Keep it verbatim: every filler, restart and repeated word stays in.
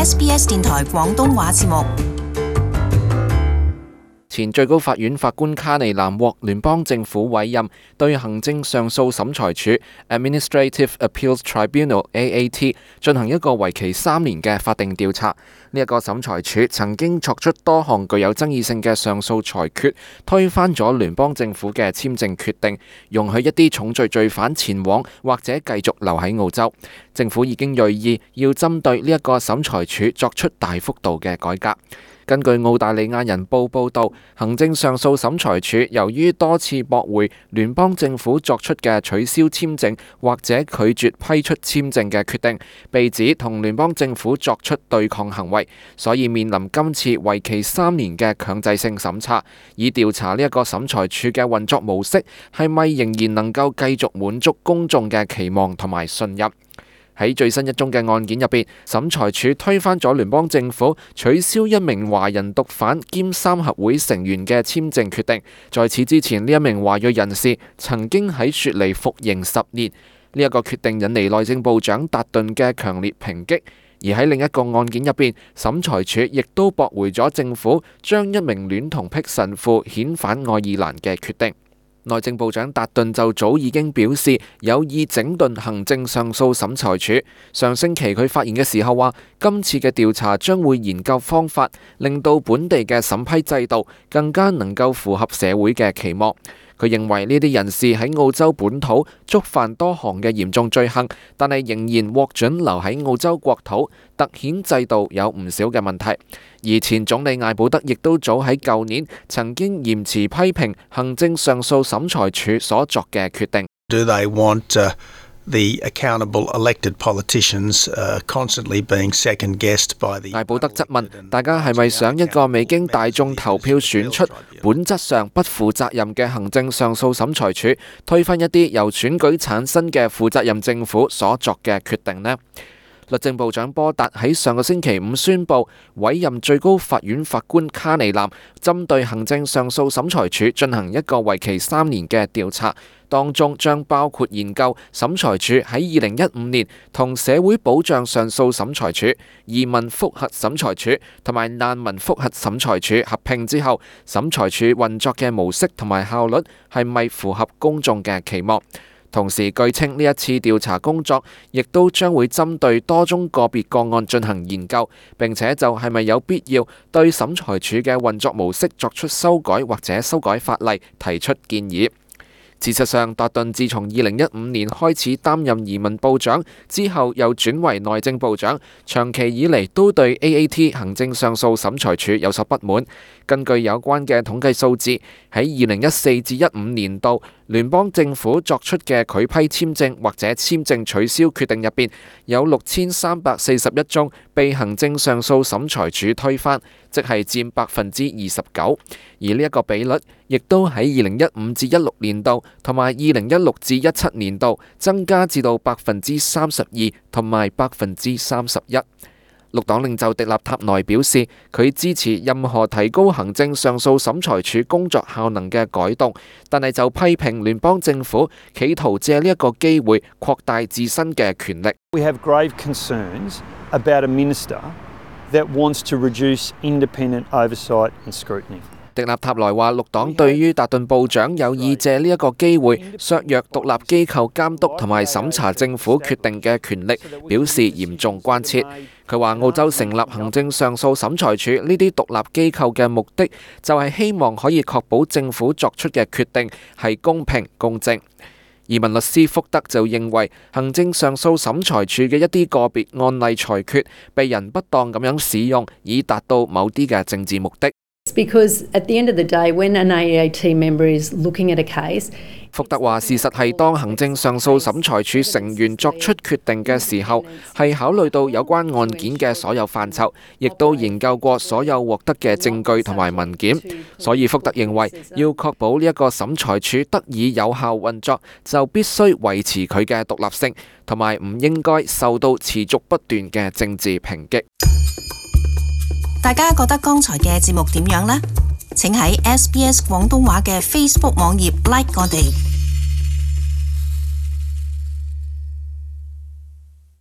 S B S 電台廣東話節目。前最高法院法官卡尼南獲聯邦政府委任，對行政上訴審裁處 Administrative Appeals Tribunal A A T 進行一個為期三年嘅法定調查。呢、這、一個審裁處曾經作出多項具有爭議性嘅上訴裁決，推翻咗聯邦政府嘅簽證決定，容許一啲重罪罪犯前往或者繼續留喺澳洲。政府已經銳意要針對呢一個審裁處作出大幅度嘅改革。根據澳大利亞人報報導，行政上訴審裁處由於多次駁回聯邦政府作出嘅取消簽證或者拒絕批出簽證嘅決定，被指同聯邦政府作出對抗行為，所以面臨今次為期三年嘅強制性審查，以調查呢一個審裁處嘅運作模式係咪仍然能夠繼續滿足公眾嘅期望同埋信任。喺最新一宗嘅案件入邊，審裁處推翻咗聯邦政府取消一名華人毒販兼三合會成員嘅簽證決定。在此之前，呢一名華裔人士曾經喺雪梨服刑十年。呢一個決定引嚟內政部長達頓嘅強烈抨擊。而喺另一個案件入邊，審裁處亦都駁回咗政府將一名戀童癖神父遣返愛爾蘭嘅決定。內政部長達頓就早已經表示有意整頓行政上訴審裁處。上星期佢發言嘅時候話，今次嘅調查將會研究方法，令到本地嘅審批制度更加能夠符合社會嘅期望。佢認為呢啲人士喺澳洲本土觸犯多項嘅嚴重罪行，但係仍然獲准留喺澳洲國土，突顯制度有唔少嘅問題。而前總理艾保德亦都早喺舊年曾經嚴詞批評行政上訴審裁處所作嘅決定。Do they want, uh, the accountable elected politicians, uh, constantly being second guessed by the 艾保德質問大家係咪想一個未經大眾投票選出、本質上不負責任嘅行政上訴審裁處，推翻一啲由選舉產生嘅負責任政府所作嘅決定呢？律政部長波達喺上個星期五宣布委任最高法院法官卡尼南，針對行政上訴審裁處進行一個為期三年嘅調查，當中將包括研究審裁處喺二零一五年同社會保障上訴審裁處、移民覆核審裁處同埋難民覆核審裁處合併之後，審裁處運作嘅模式同埋效率係咪符合公眾嘅期望。同時，據稱呢一次調查工作亦都將會針對多宗個別個案進行研究，並且就係咪有必要對審裁處嘅運作模式作出修改或者修改法例提出建議。事實上，達頓自從二零一五年開始擔任移民部長之後，又轉為內政部長，長期以嚟都對 A A T 行政上訴審裁處有所不滿。根據有關嘅統計數字，喺二零一四至一五年度，聯邦政府作出嘅拒批簽證或者簽證取消決定入邊，有六千三百四十一宗被行政上訴審裁處推翻，即係佔百分之二十九。而呢一個比率亦都喺二零一五至一六年度同埋二零一六至一七年度增加至到百分之三十二同埋百分之三十一。綠黨領袖迪納塔內表示，佢支持任何提高行政上訴審裁處工作效能嘅改動，但係就批評聯邦政府企圖借呢一個機會擴大自身嘅權力。We have grave concerns about a minister that wants to reduce independent oversight and scrutiny. 迪納塔萊話，綠黨對於達頓部長有意借呢一個機會削弱獨立機構監督同埋審查政府決定嘅權力，表示嚴重關切。佢話澳洲成立行政上訴審裁處呢啲獨立機構嘅目的，就係希望可以確保政府作出嘅決定係公平公正。移民律師福德就認為，行政上訴審裁處嘅一啲個別案例裁決被人不當咁樣使用，以達到某啲嘅政治目的。Because at the end of the day, when an A A T member is looking at a case, 福德話：事實係當行政上訴審裁處成員作出決定嘅時候，係考慮到有關案件嘅所有範疇，亦都研究過所有獲得嘅證據同埋文件。所以福德認為，要確保呢一個審裁處得以有效運作，就必須維持佢嘅獨立性，同埋唔應該受到持續不斷嘅政治抨擊。大家覺得剛才嘅節目點樣呢？請喺 S B S 廣東話嘅 Facebook 網頁 like 我哋。